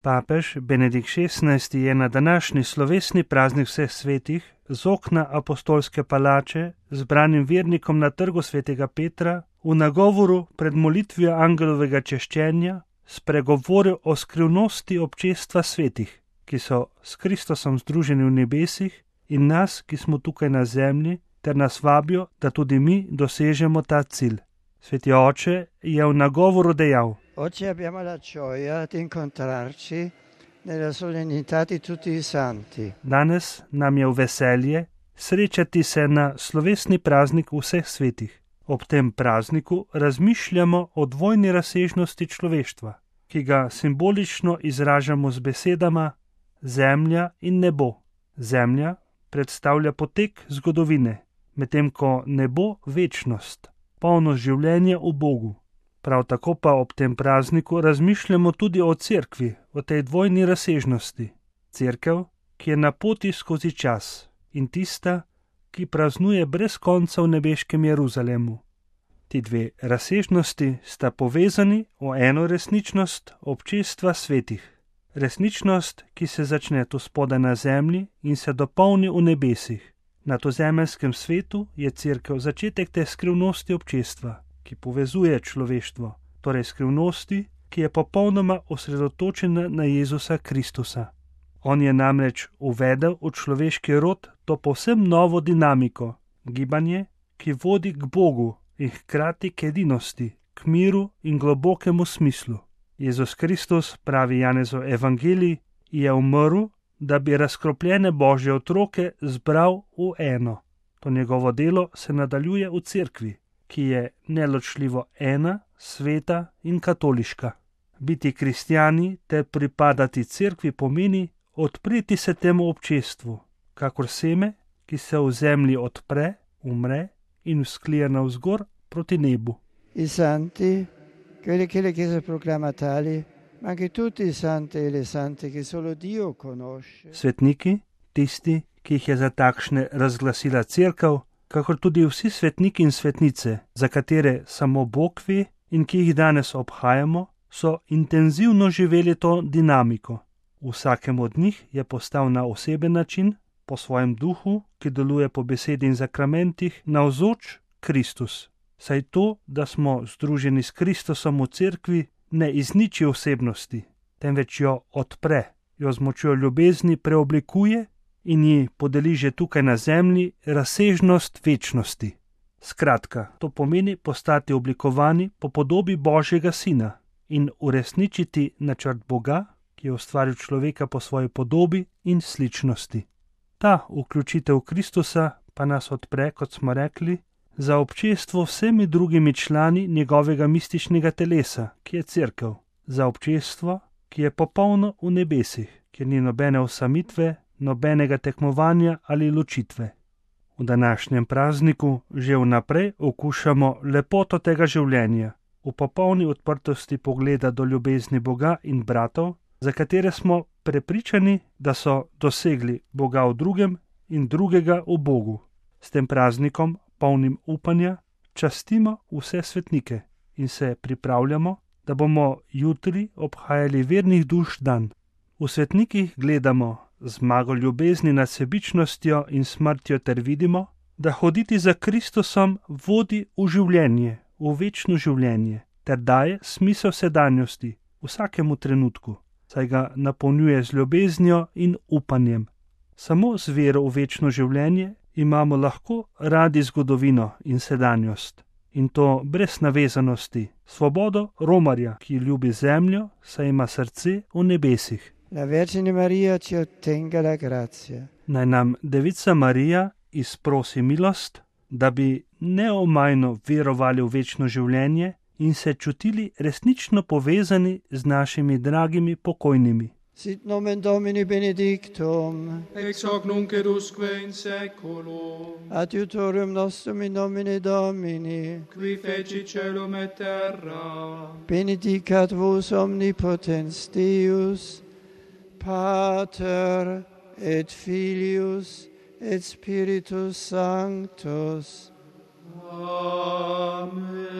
Papež Benedikt XVI je na današnji slovesni praznik vseh svetih z okna apostolske palače zbranim vernikom na trgu svetega Petra v nagovoru pred molitvijo angelovega češčenja spregovoril o skrivnosti občestva svetih, ki so s Kristusom združeni v nebesih, in nas, ki smo tukaj na zemlji, ter nas vabijo, da tudi mi dosežemo ta cilj. Sveti oče je v nagovoru dejal: Oggi abbiamo la gioia di incontrarci nella solennità di tutti i santi. Danes nam je v veselje srečati se na slovesni praznik vseh svetih. Ob tem prazniku razmišljamo o dvojni razsežnosti človeštva, ki ga simbolično izražamo z besedama zemlja in nebo. Zemlja predstavlja potek zgodovine, medtem ko nebo večnost, polno življenja v Bogu. Prav tako pa ob tem prazniku razmišljamo tudi o cerkvi, o tej dvojni razsežnosti. Cerkev, ki je na poti skozi čas, in tista, ki praznuje brez konca v nebeškem Jeruzalemu. Ti dve razsežnosti sta povezani v eno resničnost občestva svetih. Resničnost, ki se začne tu spodaj na zemlji in se dopolni v nebesih. Na tozemeljskem svetu je cerkev začetek te skrivnosti občestva, ki povezuje človeštvo, torej skrivnosti, ki je popolnoma osredotočena na Jezusa Kristusa. On je namreč uvedel v človeški rod to povsem novo dinamiko, gibanje, ki vodi k Bogu in hkrati k edinosti, k miru in globokemu smislu. Jezus Kristus, pravi Janezov evangelij, je umrl, da bi razkropljene Božje otroke zbral v eno. To njegovo delo se nadaljuje v cerkvi, ki je neločljivo ena, sveta in katoliška. Biti kristjani ter pripadati cerkvi pomeni odpreti se temu občestvu, kakor seme, ki se v zemlji odpre, umre in vzklije navzgor proti nebu. I santi, quelli che la Chiesa proclama tali, ma anche tutti i santi e le sante che solo Dio conosce. Svetniki, tisti, ki jih je za takšne razglasila cerkev, kakor tudi vsi svetniki in svetnice, za katere samo Bog ve in ki jih danes obhajamo, so intenzivno živeli to dinamiko. Vsakemu od njih je postal na oseben način, po svojem duhu, ki deluje po besedi in zakramentih, navzoč Kristus. Saj to, da smo združeni s Kristusom v cerkvi, ne izniči osebnosti, temveč jo odpre, jo z močjo ljubezni preoblikuje in ji podeli že tukaj na zemlji razsežnost večnosti. Skratka, to pomeni postati oblikovani po podobi Božjega Sina in uresničiti načrt Boga, ki je ustvaril človeka po svoji podobi in sličnosti. Ta vključitev Kristusa pa nas odpre, kot smo rekli, za občestvo vsemi drugimi člani njegovega mističnega telesa, ki je cerkev, za občestvo, ki je popolno v nebesih, kjer ni nobene osamitve, nobenega tekmovanja ali ločitve. V današnjem prazniku že vnaprej okušamo lepoto tega življenja, v popolni odprtosti pogleda do ljubezni Boga in bratov, za katere smo prepričani, da so dosegli Boga v drugem in drugega v Bogu. S tem praznikom, polnim upanja, častimo vse svetnike in se pripravljamo, da bomo jutri obhajali vernih duš dan. V svetnikih gledamo zmago ljubezni nad sebičnostjo in smrtjo ter vidimo, da hoditi za Kristusom vodi v življenje, v večno življenje, ter daje smisel sedanjosti vsakemu trenutku, saj ga napolnjuje z ljubeznijo in upanjem. Samo z vero v večno življenje imamo lahko radi zgodovino in sedanjost, in to brez navezanosti, svobodo romarja, ki ljubi zemljo, saj ima srce v nebesih. La Vergine Maria ci ottenga la grazia. Naj nam Devica Marija izprosi milost, da bi neomajno verovali v večno življenje in se čutili resnično povezani z našimi dragimi pokojnimi. Sit nomen Domini benedictum, ex hoc nunc et usque in saeculum, adiutorium nostrum in nomine Domini, qui feci caelum et terra, benedicat vos omnipotens Deus, Pater et Filius et Spiritus Sanctus. Amen.